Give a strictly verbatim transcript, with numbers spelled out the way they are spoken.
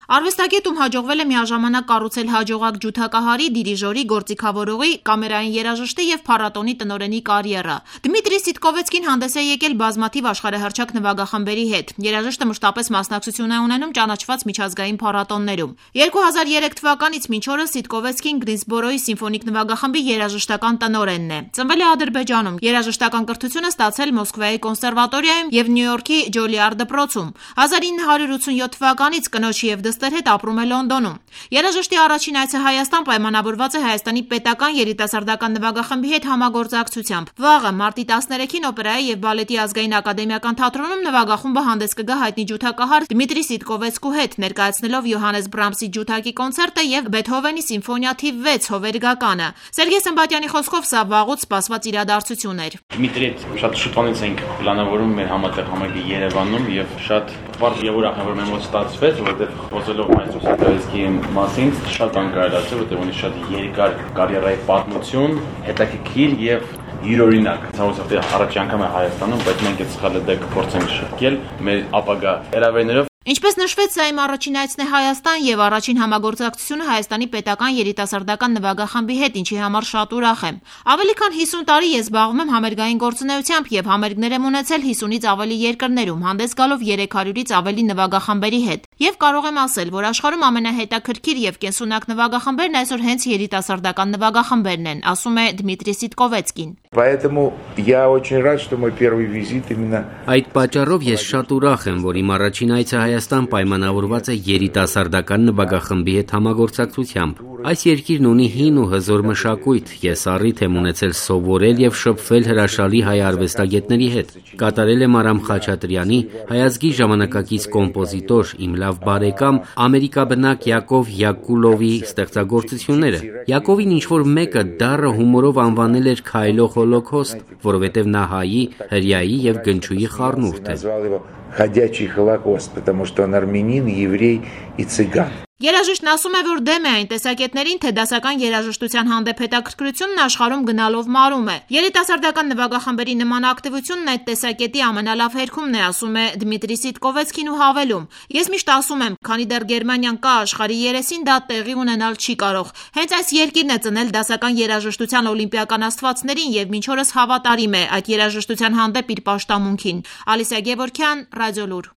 Արվեստագետում հաջողվել է միաժամանակ կառուցել հաջողակ ջութակահարի, դիրիժորի, գործիքավորողի, կամերային երաժշտի և փառատոնի տնօրենի կարիերա։ Դմիտրի Սիտկովեցկին հանդես է եկել բազմաթիվ աշխարհահռչակ նվագախմբերի հետ։ Երաժիշտը մշտապես մասնակցություն է ունենում ճանաչված միջազգային փառատոններում։ երկու հազար երեք թվականից մինչ օրս Սիտկովեցկին Գրինսբորոյի սիմֆոնիկ նվագախմբի երաժշտական տնօրենն է։ Ծնվել է Ադրբեջանում, երաժշտական կրթությունը ստացել Մոսկվայի կոնսերվատորիայում և Նյու Յորքի Ջոլիար դպրոցում։ հազար ինը հարյուր ութսունյոթ թվականից կնոջի և դստեր հետ ապրում է Լոնդոնում։ Երաժշտի առաջին այցը Հայաստան պայմանավորված է Հայաստանի պետական երիտասարդական նվագախմբի հետ համագործակցությամբ։ Վաղը մարտի տասներեքին Օպերայի և բալետի ազգային ակադեմիական թատրոնում նվագախումբը հանդես կգա հայտնի ջութակահար Դմիտրի Սիտկովեցկու հետ, ներկայացնելով Յոհաննես Բրամսի ջութակի կոնցերտը և Բեթհովենի սիմֆոնիա թիվ վեց հովերգականը։ Սերգեյ Սմբատյանի խոսքով սա վաղուց սպասված իրադարձություն էր։ Դմիտրի հետ շատ շուտվանից ենք պլանավորում մեր համատեղ համերգի Երևանում եւ շատ բարդ եւ ուրախ եմ, որ մեր մոտ ստացվեց, որովհետեւ խոսելով մայստրո Սիտկովեցկիի մասին շատ բան կարելի ասել, որովհետեւ ունի շատ երկար կարիերայի պատմություն, հետաքրքիր եւ յուրօրինակ։ Ցավոք առաջի անգամ է Հայաստանում, բայց մենք այդ սխալը դեռ կփորձենք շրջել մեր ապագա հրավերներով։ Ինչպես նշվեց, սա իմ առաջին այցն է Հայաստան և առաջին համագործակցությունը Հայաստանի պետական երիտասարդական նվագախմբի հետ, ինչի համար շատ ուրախ եմ։ Ավելի քան հիսուն տարի ես զբաղվում եմ համերգային գործունեությամբ և համերգներ եմ ունեցել հիսունից ավելի երկրներում, հանդես գալով երեք հարյուրից ավելի նվագախմբերի հետ։ Եվ կարող եմ ասել, որ աշխարհում ամենահետաքրքիր և կենսունակ նվագախմբերն այսօր հենց երիտասարդական նվագախմբերն են, ասում է Դմիտրի Սիտկովեցկին։ Այդ պատճառով ես շատ ուրախ եմ, որ իմ առաջին այցը Հայաստան պայմանավորված է երիտասարդական նվագախմբի հետ համագործակցությամբ։ Այս երկիրն ունի հին ու հզոր մշակույթ, ես առիթ եմ ունեցել սովորել և շփվել հրաշալի հայ արվեստագետների հետ։ Կատարել եմ Արամ Խաչատրյանի, հայազգի ժամանակակից կոմպոզիտոր, իմ լավ բարեկամ, ամերիկաբնակ Յակով Յակուլովի ստեղծագործությունները։ Յակովին ինչ-որ մեկը դառը հումորով անվանել էր քայլող հոլոքոստ, որովհետև նա հայի, հրեայի և գնչուի խառնուրդ է։ Ходячий Холокост, потому что он армянин, еврей и цыган. Երաժիշտն ասում է, որ դեմ է այն տեսակետներին, թե դասական երաժշտության հանդեպ հետաքրքրությունն աշխարհում գնալով մարում է։ Երիտասարդական նվագախմբերի նման ակտիվությունն այդ տեսակետի ամենալավ հերքումն է, ասում է Դմիտրի Սիտկովեցկին ու հավելում. Ես միշտ ասում եմ, քանի դեռ Գերմանիան կա աշխարհի երեսին, դա տեղի ունենալ չի կարող։ Հենց այս երկիրն է ծնել դասական երաժշտության օլիմպիական աստվածներին և մինչ օրս հավատարիմ է այդ երաժշտության հանդեպ իր պաշտամունքին։ Ալիսա Գևորգյան, Ռադիոլուր։